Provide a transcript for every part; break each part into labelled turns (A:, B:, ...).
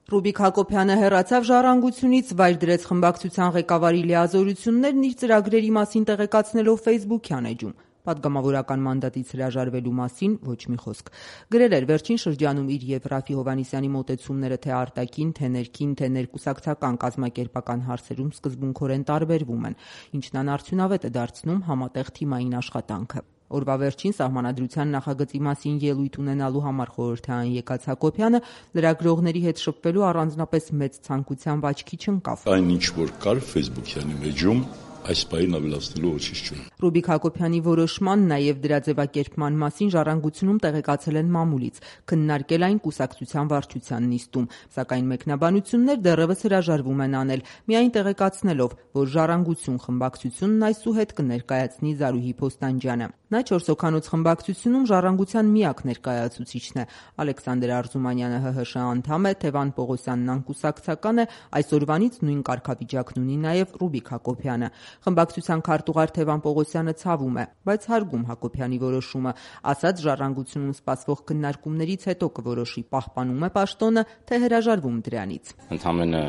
A: Ռուբիկ Հակոբյանը հեռացավ «Ժառանգությունից», վայր դրեց խմբակցության ղեկավարի լիազորություններն իր ծրագրերի մասին տեղեկացնելով Facebook-յան էջում։ Պատգամավորական մանդատից հրաժարվելու մասին ոչ մի խոսք։ Գրել էր վերջին շրջանում իր եւ Ռաֆի Հովհաննիսյանի մոտեցումները թե արտաքին, թե ներքին, թե ներկուսակցական կազմակերպական հարցերում սկզբունքորեն տարբերվում են, ինչն անարդյունավետ է դարձնում համատեղ թիմային աշխատանքը։ Օրվա վերջին Սահմանադրության նախագծի մասին ելույթ ունենալու համար խորհրդարան եկած Հակոբյանը լրագրողների հետ շփվելու առանձնապես մեծ ցանկությամբ աչքի չընկավ։
B: Այն ինչ որ կար Facebook-յանի մեջում, այս պահին ավելացնելու ոչինչ չունի։
A: Ռուբիկ Հակոբյանի որոշման, նաև դրա ձևակերպման մասին Ժառանգությունում տեղեկացել են մամուլից, քննարկել այն կուսակցության վարչության նիստում, սակայն մեկնաբանություններ դեռևս հրաժարվում են անել, միայն տեղեկացնելով, որ Ժառանգություն խմբակցությունն այսուհետ կներկայացնի Զարուհի Փոստանջյանը։ Նա 4 հոգանոց խմբակցությունում Ժառանգության միակ ներկայացուցիչն է։ Ալեքսանդր Արզումանյանը ՀՀՇ անդամ է, Թևան Պողոսյանն անկուսակցական է, այսօրվանից նույն կարգավիճակն ունի նաև Ռուբիկ Հակոբյանը։ Խմբակցության քարտուղար Թևան Պողոսյանը ցավում է, բայց հարգում Հակոբյանի որոշումը, ասաց Ժառանգությունում սպասվող քննարկումներից հետո կորոշի պահպանում է պաշտոնը, թե հրաժարվում դրանից։
C: Ընդամենը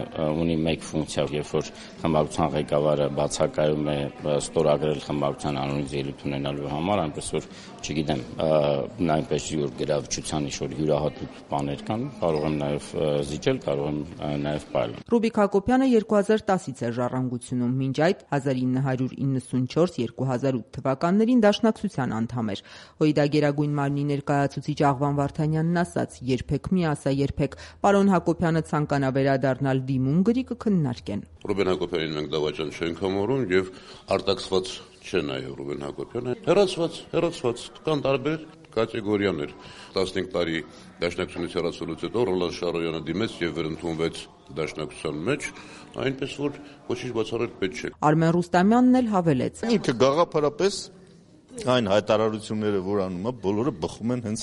C: ունի մեկ ֆունկցիա, երբ որ խմբակցության ղեկավարը բացակայում է ստորագրել խմբակցության անունից ելույթ ունենալու համար, այնպես որ չգիտեմ, այնպես որ գրավչության ինչ-որ յուրահատուկ բաներ կան, կարող եմ նաև զիջել, կարող եմ նաև պայել։
A: Ռուբիկ Հակոբյանը 2010-ից է Ժառանգությունում, մինչ այդ 1994-2008 թվականներին Դաշնակցության անդամ էր։ ՀՅԴ Գերագույն մարմնի ներկայացուցիչ Աղվան Վարդանյանն ասաց. «Երբեք մի ասա, երբեք պարոն Հակոբյանը ցանկանա վերադառնալ դիմում գրի կքննարկեն»։
D: Ռուբեն Հակոբյանին մենք դավաճան չենք համարում եւ արտաքսված չէ նաեւ Ռուբեն Հակոբյանը։ Հեռացված կան տարբեր կատեգորիաներ։ 15 տարի Դաշնակցությունից հեռացվելուց հետո Ռոլան Շարոյանը դիմեց եւ վերընդունվեց Դաշնակցության մեջ, այնպես որ ոչինչ բացառել պետք չէ։
A: Արմեն Ռուստամյանն էլ հավելեց.
E: Ինքը գաղափարապես այն հայտարարությունները, որ անում է, բոլորը բխում են հենց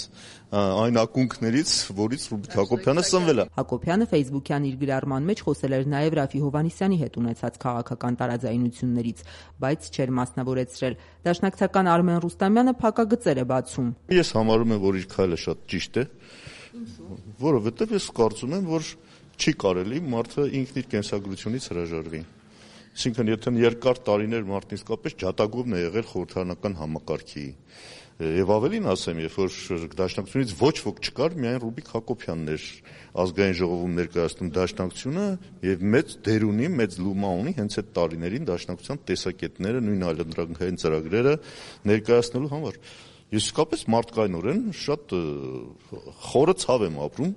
E: այն ակունքներից, որից Ռուբիկ Հակոբյանը սնվել է։
A: Հակոբյանը Facebook-յան իր գրառման մեջ խոսել էր նաև Ռաֆի Հովհաննիսյանի հետ ունեցած քաղաքական տարաձայնություններից, բայց չէր մասնավորեցրել։ Դաշնակցական Արմեն Ռուստամյանը փակագծեր է բացում։
E: Ես համարում եմ, որ իր քայլը շատ ճիշտ է, որովհետև ես կարծում եմ, որ չի կարելի մարդը ինքն իր կենսագրությունից հրաժարվի։ Այսինքն, եթե երկար տարիներ մարդն իսկապես ջատագովն է եղել խորհրդարանական համակարգի, եւ ավելին ասեմ, երբ որ Դաշնակցությունից ոչ ոք չկար, միայն Ռուբիկ Հակոբյանն էր ազգային ժողովում ներկայացնում Դաշնակցությունը եւ մեծ դեր ունի, մեծ լումա ունի հենց այդ տարիներին Դաշնակցության տեսակետները, նույն այլընտրանքային ծրագրերը ներկայացնելու համար։ Ես իսկապես մարդկայնորեն շատ խորը ցավ եմ ապրում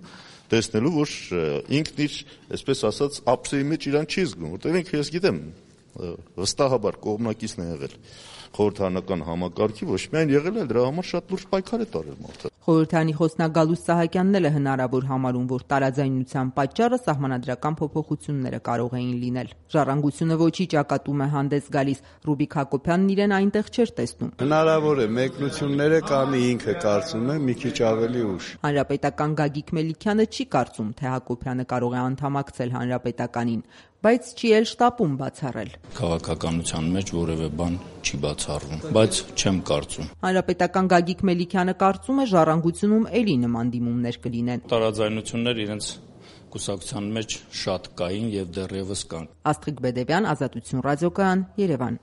E: տեսնելու, որ ինքն իր, այսպես ասած, ափսեի մեջ իրան չի զգում, որտեղ ինքը ես գիտեմ, վստահաբար կողմնակիցն է եղել խորհրդարանական համակարգի, ոչ միայն եղել է, դրա համար շատ լուրջ պայքար է տարել մարդը։
A: Խորհրդարանի խոսնակ Գալուստ Սահակյանն էլ է հնարավոր համարում, որ տարաձայնության պատճառը սահմանադրական փոփոխությունները կարող էին լինել։ Ժառանգությունը ոչի ճակատում է հանդես գալիս, Ռուբիկ Հակոբյանն իրեն այնտեղ չէր տեսնում։
F: Հնարավոր է մեկնությունները կանի ինքը կարծում է մի քիչ ավելի ուշ։
A: Հանրապետական Գագիկ Մելիքյանը չի կարծում, թե Հակոբյանը կարող է անդամակցել Հանրապետականին, բայց չի էլ շտապում բացառել։
C: Քաղաքականության մեջ որևէ բան չի բացառվում, բայց չեմ կարծում։
A: Հանրապետական Գագիկ Մելիքյանը կարծում է Ժառանգությունում էլի նման դիմումներ կլինեն։
C: Տարաձայնություններ իրենց կուսակցության մեջ շատ կային եւ դեռևս կան։
A: Աստղիկ Բեդևյան, Ազատություն ռադիոկայան, Երևան։